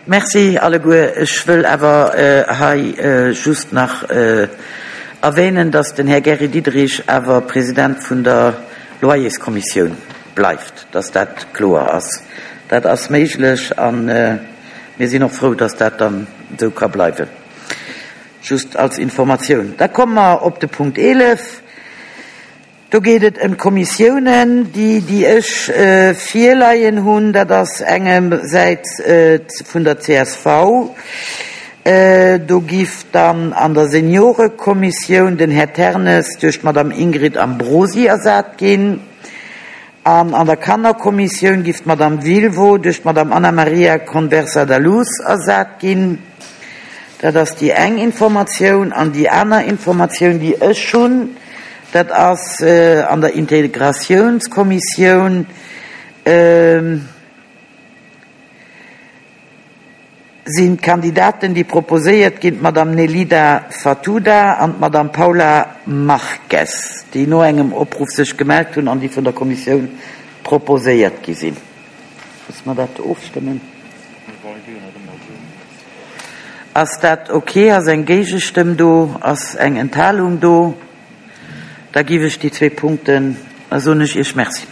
Merci alleguer. Ech wëll awer hei just nach erwähnen, dass den Här Gary Diderich awer President vun der Loyerskommissioun bleift, dass dat kloer ass. Dat ass méiglech a mir sinn och frou, dass dat dann esou ka bleiwen. Just als Informatioun. Da komme mer op de Punkt 11. Do geet et ëm d'Kommissiounen, déi, déi ech virleien hunn. Dat ass engersäits vun der csv. Do giff dann an der Seniorekommissioun den Här Ternes duerch d'Madame Ingrid Ambrosi ersat ginn. An an der Kannerkommissioun giff d'Madame Wilwo duerch d'Madame Ana Maria Conversa da Luz ersat ginn. Dat ass déi eng Informatioun. An déi aner Informatioun, déi ech hunn, dat ass an der Integratiounskommissioun sinn d'Kandidaten, déi proposéiert ginn, d'Madame Nelida Fatuda an d'Madame Paula Marques, déi no engem Opruff sech gemellt hunn an déi vun der Kommissioun proposéiert gi sinn. Musse mer dat ofstëmmen? Ass dat ok? Ass eng Géigestëmm do? Ass eng Enthalung do? Da giff ech déi zwee Punkten, da soen ech Iech Merci.